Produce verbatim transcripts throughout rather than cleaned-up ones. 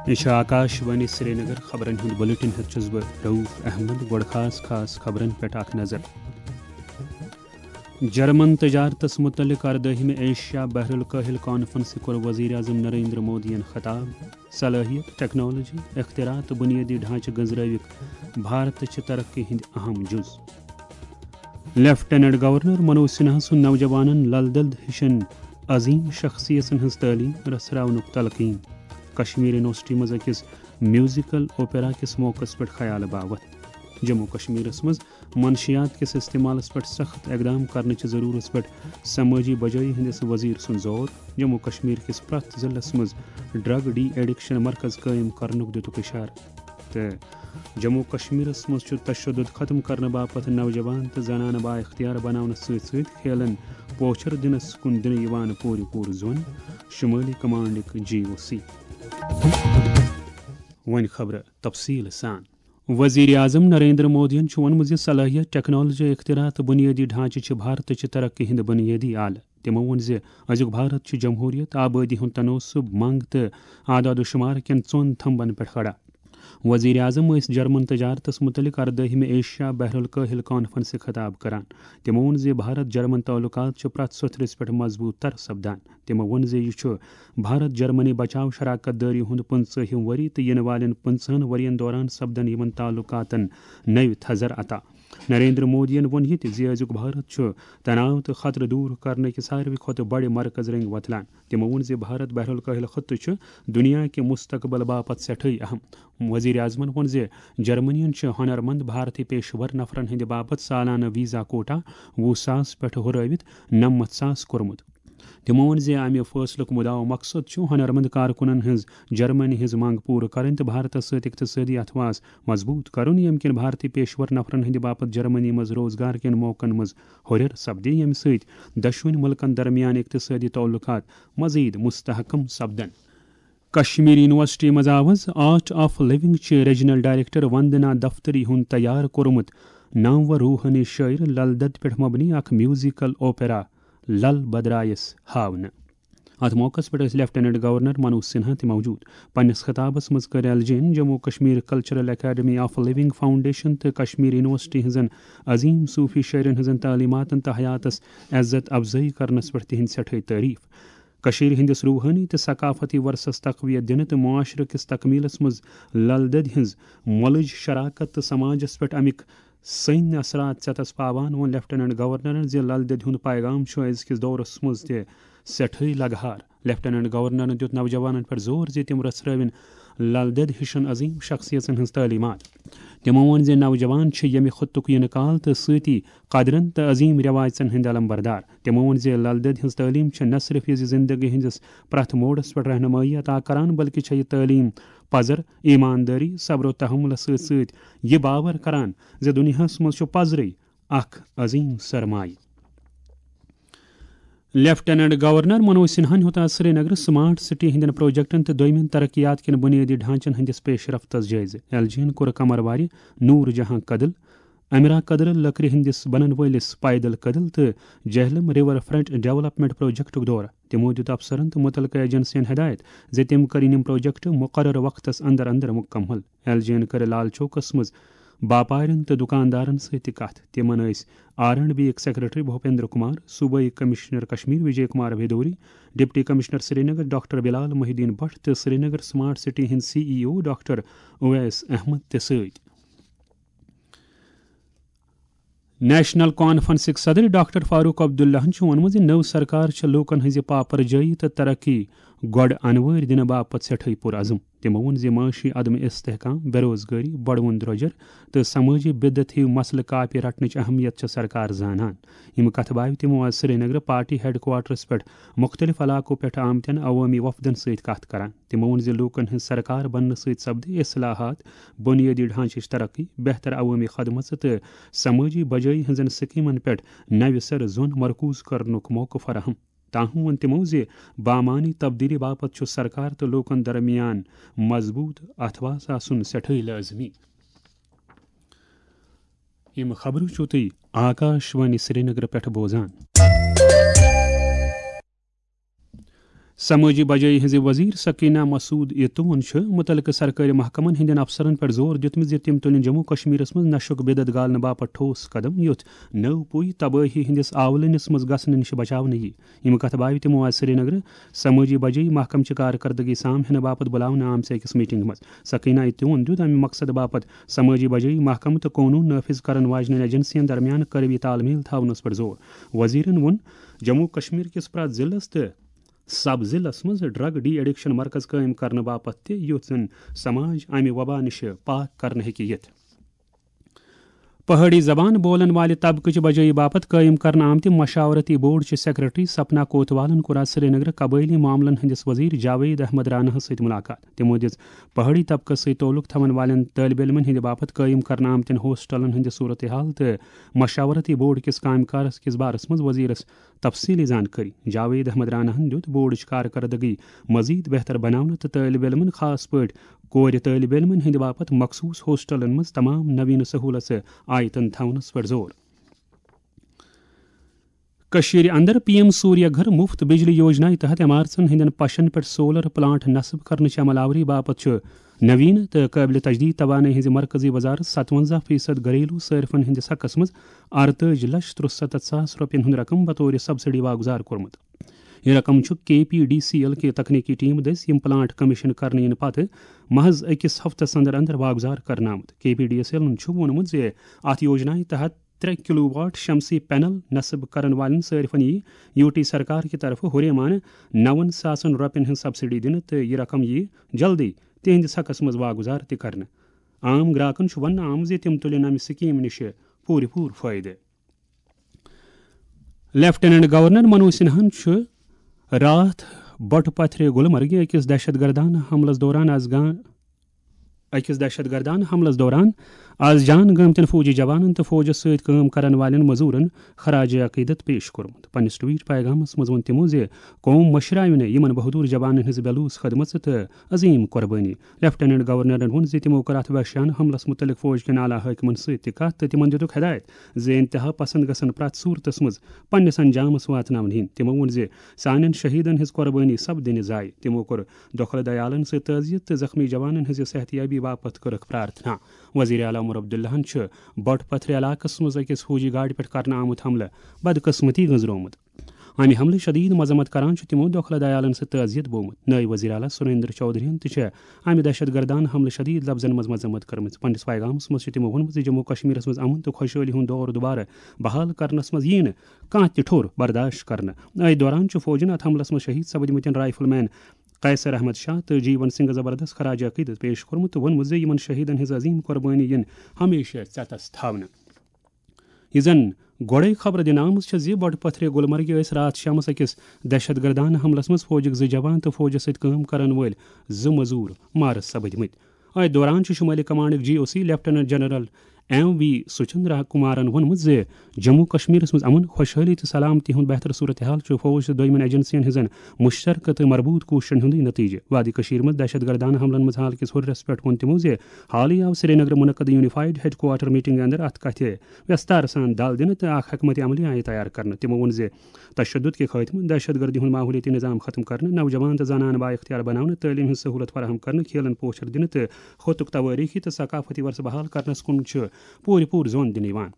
یہِ چھِ آکاش وانی سرینگر۔ خبرن ہُنٛد بلیٹن ہٮ۪تھ چھُس بہٕ رؤف احمد۔ گۄڈٕ خاص خاص خبرن پٮ۪ٹھ اکھ نظر۔ جرمن تجارتس متعلق اردٲہمہِ ایشیا بحر الکاہل کانفرنسہِ کوٚر وزیر اعظم نریندر مودیَن خطاب۔ صلٲحیت، ٹیکنالوجی، اختراع تہٕ بنیٲدی ڈھانچہٕ گٔنزرٲوِکھ بھارتٕچہِ ترقی ہٕنٛدۍ اہم جُز۔ لیفٹیننٹ گورنر منوج سنہا سُنٛد نوجوانن لل دٮ۪د ہِشن عظیم شخصیژن ہٕنٛز تعلیٖم رژھراونُک تلقین۔ کشمیر یونیورسٹی منٛز أکِس میوزیکل اوپیرا کِس موقعس پٮ۪ٹھ خیال باوتھ۔ جموں کشمیرس منٛز منشیات کِس استعمالس پٮ۪ٹھ سخت اقدام کرنٕچہِ ضرورتس پٮ۪ٹھ سمٲجی بجٲیی ہٕنٛدِس وزیر سُنٛد زور۔ جموں کشمیر کِس پرٛٮ۪تھ ضلعس منٛز ڈرگ ڈی ایڈکشن مرکز قٲیِم کرنُک دِتُکھ اشارٕ۔ تہٕ جموں کشمیرس منٛز چھُ تشدد ختم کرنہٕ باپتھ نوجوان تہٕ زنانہٕ با اختیار بناونس سۭتۍ سۭتۍ کھیلن پوچھر دِنس کُن دِنہٕ یِوان پوٗرٕ پوٗرٕ زون، شمٲلی کمانڈٕکۍ جی او سی۔ وۄنۍ خبرٕ تفصیٖل سان۔ وزیر اعظم نریندر مودیَن چھُ ووٚنمُت زِ صلٲحیت، ٹیکنالوجی، اختراع تہٕ بنیٲدی ڈھانچہٕ چھِ بھارتٕچہِ ترقی ہٕنٛدۍ بنیٲدی آلہٕ۔ تِمو ووٚن زِ أزیُک بھارت چھُ جمہوریت، آبٲدی ہُنٛد تناسب، منگ تہٕ اعداد و شمار کٮ۪ن ژۄن تھمبن پٮ۪ٹھ کھڑا۔ وزیر اعظم ٲسۍ جرمن تجارتس متعلق اردٲہمہِ ایشیا بحر الکاہل کانفرنسہِ خطاب کران۔ تِمو ووٚن زِ بھارت جرمن تعلقات چھِ پرٛٮ۪تھ سوٚتھرِس پٮ۪ٹھ مضبوٗط تر سپدان۔ تِمو ووٚن زِ یہِ چھُ بھارت جرمنی بچاو شراکت دٲری ہُنٛد پٕنٛژٕہِم ؤری تہٕ یِنہٕ والٮ۪ن پٕنٛژٕہن ؤرین دوران سپدن یِمن تعلقاتن نٔوۍ تھزر عطا۔ نریندر مودیَن ووٚن یہِ تہِ زِ أزیُک بھارت چھُ تناو تہٕ خطرٕ دوٗر کرنٕکہِ ساروی کھۄتہٕ بڑِ مرکز رنگۍ وۄتلان۔ تِمو ووٚن زِ بھارت بحر الکاہل خطہٕ چھُ دُنیا کہِ مستقبل باپتھ سٮ۪ٹھٕے اہم۔ وزیر اعظمن ووٚن زِ جرمنین چھِ ہُنرمند بھارتی پیشور نفرن ہٕنٛدِ باپتھ سالانہٕ ویزا کوٹا وُہ ساس پٮ۪ٹھ ہُرٲوِتھ نَمَتھ ساس کوٚرمُت۔ تِمو ووٚن زِ امہِ فٲصلُک مُدعا و مقصد چھُ ہُنرمند کارکُنن ہٕنٛز جرمنی ہٕنٛز منگ پوٗرٕ کرٕنۍ تہٕ بھارتس سۭتۍ اقتصٲدی اتھواس مضبوٗط کرُن، ییٚمہِ کِنۍ بھارتی پیشور نفرن ہٕنٛدِ باپتھ جرمنی منٛز روزگار کٮ۪ن موقعن منٛز ہُرٮ۪ر سپدِ، ییٚمہِ سۭتۍ دۄشوٕنۍ مُلکن درمیان اقتصٲدی تعلقات مزید مستحکم سپدن۔ کشمیر یونیورسٹی منٛز آو آز آرٹ آف لونگ چہِ ریجنل ڈائریکٹر وندنا دفتری ہُنٛد تیار کوٚرمُت نامور روحٲنی شٲعر لل دت پٮ۪ٹھ مبنی اکھ میوزیکل اوپیرا لل بدرایس ہاونہٕ۔ اتھ موقعس پٮ۪ٹھ ٲسۍ لیفٹیننٹ گورنر منوج سنہا تہِ موجود۔ پننِس خطابس منٛز کٔر L J N Jammu Kashmir cultural academy of living foundation تہٕ کشمیر یونیورسٹی ہٕنٛزن عظیم صوفی شٲعرن ہٕنٛزن تعلیماتن تہٕ حیاتس عزت افزٲیی کرنس پٮ۪ٹھ تِہنٛد سٮ۪ٹھاے تعریف۔ کٔشیٖرِ ہٕنٛدِس روحٲنی تہٕ ثقافتی ورثس تقویت دِنہٕ تہٕ معاشرٕ کِس تکمیلس منٛز لل دٮ۪دِ ہٕنٛز مۄلٕج شراکت تہٕ سماجس پٮ۪ٹھ امیُک سٔنۍ اثرات ژٮ۪تس پاوان ووٚن لیفٹیننٹ گورنرن زِ لل دٮ۪دِ ہُنٛد پیغام چھُ أزکِس دورس منٛز تہِ سٮ۪ٹھٕے لگہار۔ لیفٹیننٹ گورنرن دیُت نوجوانن پٮ۪ٹھ زور زِ تِم رژھرٲوِن لل دٮ۪د ہِشن عظیم شخصیژن ہٕنٛز تعلیمات۔ تِمو ووٚن زِ نوجوان چھِ ییٚمہِ خطُک یِنہٕ کال تہٕ سۭتی قدرن تہٕ عظیم رٮ۪واژن ہٕنٛدۍ علمبردار۔ تِمو ووٚن زِ لل دٮ۪د ہٕنٛز تعلیٖم چھِ نہ صرف یہِ زِ زندگی ہٕنٛدِس پرٛٮ۪تھ موڑس پٮ۪ٹھ رہنمٲیی عطا کران، بلکہِ چھےٚ یہِ تعلیٖم پزر، ایماندٲری، صبر و تحملس سۭتۍ سۭتۍ یہِ باور کران زِ دُنیاہس منٛز چھُ پزرٕے اکھ عظیم سرمایہ۔ لیفٹیننٹ گورنر منوج سنہاہن ہیوٚت آز سرینگرٕ سمارٹ سٹی ہٕنٛدٮ۪ن پروجیکٹن تہٕ دوٚیمٮ۪ن ترقیات کٮ۪ن بنیٲدی ڈھانچن ہٕنٛدِس پیش رفتس جٲیزٕ۔ ایل جی ین کوٚر کمروارِ نور جہاں کدل، امرا کدل لکرِ ہٕنٛدِس بنن وٲلِس پیدل کدل تہٕ جہلم ریور فرنٹ ڈیولپمنٹ پروجیکٹُک دورٕ۔ تِمو دِیُت افسرن تہٕ مُتعلقہٕ ایجنسین ہدایت زِ تِم کرن یِم پروجیکٹ مقررٕ وقتس اندر اندر مکمل۔ ایل جی ین کٔر لال چوکس منٛز باپارٮ۪ن تہٕ دُکاندارن سۭتۍ تہِ کتھ۔ تِمن ٲسۍ آر اینڈ بی یٕکۍ سیکرٹری بھوپیندر کمار، صوبٲئی commissioner Kashmir Vijay Kumar Bhiduri, deputy commissioner Srinagar doctor Bilal Mohi-ud-Din Bhat تہٕ سرینگر سمارٹ سٹی ہٕنٛدۍ C E O doctor Owais Ahmad تہِ سۭتۍ۔ نیشنل کانفرنسٕکۍ صدر ڈاکٹر فاروق عبداللہن چھُ ووٚنمُت زِ نٔو سرکار چھِ لوٗکَن ہٕنٛزِ پاپرجٲیی تہٕ ترقی گۄڈٕ انوٲرۍ دِنہٕ باپتھ سٮ۪ٹھٕے پُرعزم۔ تِمو ووٚن زِ معاشی عدم استحکام، بے روزگٲری، بڑوُن درٛۄجر تہٕ سمٲجی بدعت ہِوۍ مسلہٕ کاپہِ رٹنٕچ اہمیت چھِ سرکار زانان۔ یِم کتھٕ باوِ تِمو آز سرینگرٕ پارٹی ہیڈ کوارٹرس پٮ۪ٹھ مُختٔلِف علاقو پٮ۪ٹھ آمتٮ۪ن عوٲمی وفدن سۭتۍ کتھ کران۔ تِمو ووٚن زِ لوٗکَن ہٕنٛز سرکار بننہٕ سۭتۍ سپدِ اصلاحات، بنیٲدی ڈھانچٕچ ترقی، بہتر عوٲمی خدمژٕ تہٕ سمٲجی بجٲیی ہٕنٛزن سکیمن پٮ۪ٹھ نوِ سرٕ زۄن مرکوز کرنُک موقعہٕ فراہم۔ تاہم ووٚن تِمو زِ بامعنی تبدیلی باپتھ چھُ سرکار تہٕ لوٗکَن درمیان مضبوٗط اتھواس آسُن سٮ۪ٹھٕے لٲزمی۔ یِم خبرٕ چھِو تُہۍ آکاش وانی سرینگرٕ پٮ۪ٹھ بوزان۔ سمٲجی بجٲیی ہٕنٛزِ وزیر سکینہ مسعود یتون چھُ مُتعلقہٕ سرکٲرۍ محکمن ہٕنٛدٮ۪ن افسرن پٮ۪ٹھ زور دیُتمُت زِ تِم تُلِن جموں کشمیرس منٛز نشُک بدعت گالنہٕ باپتھ ٹھوس قدم، یُتھ نٔو پُے تبٲہی ہٕنٛدِس آولٕنِس منٛز گژھنہٕ نِش بچاونہٕ یِیہِ۔ یِم کتھٕ بٲوِ تِمو آز سرینگرٕ سمٲجی بجٲیی محکمہٕ چہِ کارکردگی سامہِ ہینہٕ باپتھ بُلاونہٕ آمژِ أکِس میٹنگہِ منٛز۔ سکینہ یتون دیُت امہِ مقصدٕ باپتھ سمٲجی بجٲیی محکمہٕ تہٕ قونوٗن نافذ کرن واجنٮ۪ن ایجنسین درمیان قربی تال میل تھاونس پٮ۪ٹھ زور۔ وزیرن ووٚن، جموں کشمیر کِس پرٛٮ۪تھ ضلعس تہٕ سب ضلعس منٛز ڈرگ ڈی ایڈکشن مرکز قٲیِم کرنہٕ باپتھ تہِ، یُتھ زن سماج امہِ وبا نِش پاک کرنہٕ ہیٚکہِ یِتھ۔ پہٲڑی زبان بولن والہِ طبقہٕ چہِ بجٲیی باپتھ قٲیِم کرنہٕ آمتہِ مشاورتی بورڈ چہِ سیکرٹری سپنا کوتوالن کوٚر آز سرینگرٕ قبٲیلی معاملن ہٕنٛدِس وزیر جاوید احمد راناہس سۭتۍ ملاقات۔ تِمو دِژ پہٲڑی طبقس سۭتۍ تعلق تھاون والٮ۪ن طٲلب علمن ہٕنٛدِ باپتھ قٲیِم کرنہٕ آمتٮ۪ن ہاسٹلن ہٕنٛدِ صورتحال تہٕ مشاورتی بورڈ کِس کامہِ کارس کِس بارس منٛز وزیرس تفصیلی زانکٲری۔ جاوید احمد راناہن دیُت بورڈٕچ کارکردگی مزید بہتر بناونہٕ تہٕ طٲلب علمن، خاص پٲٹھۍ کورِ طٲلب علمن ہٕنٛدِ باپتھ مخصوص ہاسٹلن منٛز تمام نوین سہولژٕ آیتن تھاونس پٮ۪ٹھ زور۔ کٔشیٖرِ اندر پی ایم سوریہ گھر مفت بجلی یوجنایہِ تحت عمارژن ہٕنٛدٮ۪ن پشن پٮ۪ٹھ سولر پلانٹ نصب کرنٕچ عمل آوری باپتھ چھُ نوین تہٕ قٲبلِ تجدید توانٲیی ہٕنٛزِ مرکزی وزارت ستونزہ فیصد گھریلو صارفن ہٕنٛدِس حقس منٛز ارتٲجی لچھ ترُسَتتھ ساس رۄپین ہُنٛد رقم بطور سبسڈی واگزار کوٚرمُت۔ یہِ رقم چھُ کے پی ڈی سی ایل کہِ تکنیکی ٹیم دٔسۍ یِم پلانٹ کمیشن کرنہٕ یِنہٕ پتہٕ محض أکِس ہفتس اندر اندر واگزار کرنہٕ آمُت۔ کے پی ڈی سی ایلن چھُ ووٚنمُت زِ اتھ یوجنایہِ تحت ترٛےٚ کلو واٹ شمسی پینل نصب کرن والٮ۪ن صارفن یی یو ٹی سرکار کہِ طرفہٕ ہُریمانہٕ نَوَن ساسن رۄپین ہٕنٛز سبسڈی دِنہٕ تہٕ یہِ رقم یی جلدی تِہنٛدِس حقس منٛز واگزار تہِ کرنہٕ۔ عام گراکن چھُ وننہٕ آمُت زِ تِم تُلن امہِ سکیٖم نِش پوٗرٕ پوٗرٕ فٲیدٕ۔ لیفٹیننٹ گورنر منوج سنہاہن چھُ راتھ بٹہٕ پتھرِ گلمرگہِ أکِس دہشت گردانہٕ حملس دوران از گان أکِس دہشت گردانہٕ حملس دوران از جان گٲمتٮ۪ن فوجی جوانن تہٕ فوجس سۭتۍ کٲم کرن والٮ۪ن مزورن خراج عقیدت پیش کوٚرمُت۔ پننِس ٹویٹ پیغامس منٛز ووٚن تِمو زِ قوم مٔشراوِ نہٕ یِمن بہادر جوانن ہٕنٛز بے لوث خدمژ تہٕ عظیم قربٲنی۔ لیفٹیننٹ گورنرن ووٚن زِ تِمو کٔر اتھ وحشیانہٕ حملس مُتعلق فوج کٮ۪ن اعلیٰ حٲکمن سۭتۍ تہِ کتھ تہٕ تِمن دِتُکھ ہدایت زِ انتہا پسند گژھن پرٛٮ۪تھ صورتس منٛز پننِس انجامس واتناونہٕ یِنۍ۔ تِمو ووٚن زِ سانٮ۪ن شہیدن ہٕنٛز قربٲنی سپدِ نہٕ ضایع۔ تِمو کوٚر دۄکھلہٕ دیالن سۭتۍ تعزیت تہٕ زخمی جوانن ہٕنٛزِ صحت یابی باپتھ کٔرٕکھ پرارتھنا۔ وزیر اعلیٰ عمر عبداللہن چھُ بٹہٕ پتھرِ علاقس منٛز أکِس فوجی گاڑِ پٮ۪ٹھ کرنہٕ آمُت حملہٕ بدقسمتی گٔنزرومُت۔ امہِ حملٕچ شدید مذمت کران چھُ تِمو دۄکھلہٕ دیالن سۭتۍ تعزیت بوومُت۔ نٲیِب وزیر اعلیٰ سریندر چودھرین تہِ چھِ امہِ دہشت گردانہٕ حملہٕ شدید لفظن منٛز مذمت کٔرمٕژ۔ پننِس پیغامس منٛز چھُ تِمو ووٚنمُت زِ جموں کشمیرس منٛز امن تہٕ خۄشحٲلی ہُنٛد دور دوبارٕ بحال کرنس منٛز یِیہِ نہٕ کانٛہہ تہِ ٹھوٚر برداشت کرنہٕ۔ أتھۍ دوران چھُ فوجن اتھ حملس منٛز شہید سپدمٕتٮ۪ن رائفل مین قیصر احمد شاہ تہٕ جیون سنگھ زبردست خراج عقیدت پیش کوٚرمُت تہٕ ووٚنمُت زِ یِمن شہیدن ہٕنٛز عظیم قربٲنی یِن ہمیشہ ژٮ۪تس تھاونہٕ۔ یہِ زن گۄڈے خبر دِنہٕ آمٕژ چھےٚ زِ بۄٹہٕ پتھرِ گلمرگہِ ٲسۍ راتھ شامس أکِس دہشت گردانہٕ حملس منٛز فوجٕکۍ زٕ جوان تہٕ فوجس سۭتۍ کٲم کرن وٲلۍ زٕ مٔزوٗر مارٕ سپٕدمٕتۍ۔ أتھۍ دوران چھُ شمٲلی کمانڈٕکۍ G O C lieutenant general M V Suchindra کمارن ووٚنمُت زِ جموں کشمیرس منٛز امن، خۄشحٲلی تہٕ سلامتی ہُنٛد بہتر صورتحال چھُ فوج تہٕ دوٚیمٮ۪ن ایجنسین ہٕنٛزن مشترکہٕ تہٕ مربوط کوٗششن ہُنٛدُے نتیجہٕ۔ وادی کشمیر منٛز دہشت گردانہٕ حملن منٛز حال کِس ہُرِرس پٮ۪ٹھ ووٚن تِمو زِ حالٕے آو سرینگرٕ منعقد یونیفائیڈ ہیڈ کوارٹر میٹنگ اندر اتھ کتھِ وستار سان دل دِنہٕ تہٕ اکھ حکمت عملی آیہِ تیار کرنہٕ۔ تِمو ووٚن زِ تشدد کہِ خاتمہٕ، دہشت گردی ہُنٛد ماحولیٲتی نظام ختم کرنہٕ، نوجوان تہٕ زنانہٕ بااختیار بناونہٕ، تعلیٖم ہٕنٛز سہولت فراہم کرنہٕ، کھیلن پوچھر دِنہٕ تہٕ خطُک توٲریٖخی تہٕ ثقافتی ورثہٕ بحال کرنس کُن چھُ پوٗرٕ پوٗرٕ زون دِنہٕ یِوان۔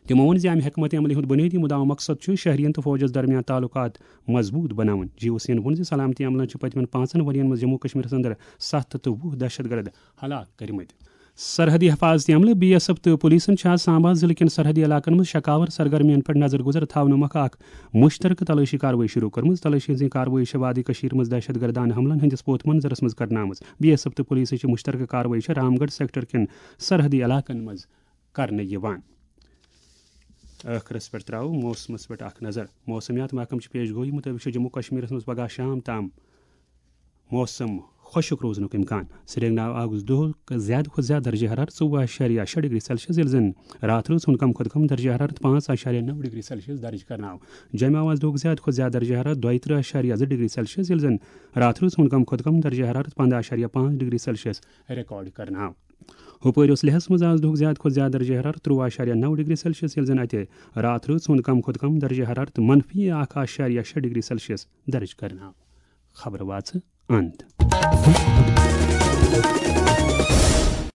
تِمو ووٚن زِ امہِ حکمت عملی ہُنٛد بُنیٲدی مُدعا مقصد چھُ شہرین تہٕ فوجس درمیان تعلقات مضبوٗط بناوٕنۍ۔ جی او سیَن ووٚن زِ سلامتی عملن چھِ پٔتمٮ۪ن پانٛژن ؤرین منٛز جموں کشمیرس اندر ستھ ہتھ تہٕ وُہ دہشت گرد ہلاک کٔرمٕتۍ۔ سرحدی حفاظتی عملہٕ، بی ایس ایف تہٕ پُلیٖسن چھِ آز سامبا ضلعہٕ کٮ۪ن سرحدی علاقن منٛز شکاور سرگرمیَن پٮ۪ٹھ نظر گُزر تھاونہٕ مۄکھٕ اکھ مُشترکہٕ تلٲشی کاروٲیی شروٗع کٔرمٕژ۔ تلٲشی ہٕنٛز یہِ کاروٲیی چھےٚ وادی کٔشیٖر منٛز دہشت گردانہٕ حملن ہٕنٛدِس پوتھ منظرس منٛز کرنہٕ آمٕژ۔ بی ایس ایف تہٕ پُلیٖسٕچ یہِ مُشترکہٕ کاروٲیی چھےٚ رامگڑھ سیکٹر کٮ۪ن سرحدی علاقن منٛز کرنہٕ یِوان۔ ٲخرس پٮ۪ٹھ ترٛاوو موسمس پٮ۪ٹھ اکھ نظر۔ موسمیات محکمہٕ چہِ پیش گویی مُطٲبِق چھُ جموں کشمیرس منٛز پگاہ شام تام موسم خۄشک روزنُک امکان۔ سرینگرٕ آو آز دۄہُک زیادٕ کھۄتہٕ زیادٕ درجہ حرارت ژوٚوُہ اعشاریہ شےٚ ڈگری سیلسیس، ییٚلہِ زن راتھ رٲژ ہُنٛد کم کھۄتہٕ کم درجہ حرارت پانٛژھ اعشاریہ نَو ڈگری سیلسیس درج کرنہٕ آو۔ جوٚمہِ آو آز دۄہُک زیادٕ کھۄتہٕ زیادٕ درجہ حرارت دۄیہِ ترٕٛہ اعشاریہ زٕ ڈگری سیلسیس، ییٚلہِ زن راتھ رٲژ ہُنٛد کم کھۄتہٕ کم درجہ حرارت پنٛداہ اعشاریہ پانٛژھ ڈگری سیلسیس ریکارڈ کرنہٕ آو۔ ہُپٲرۍ اوس لیہس منٛز آز دۄہُک زیادٕ کھۄتہٕ زیادٕ درجہ حرارت ترٛوٚوُہ اعشاریہ نَو ڈگری سیلسیس، ییٚلہِ زن اتہِ راتھ رٲژ ہُنٛد کم کھۄتہٕ کم درجہ حرارت منفی اکھ اعشاریہ شےٚ ڈگری سیلسیس درج کرنہٕ آو۔ خبرٕ واژٕ اند۔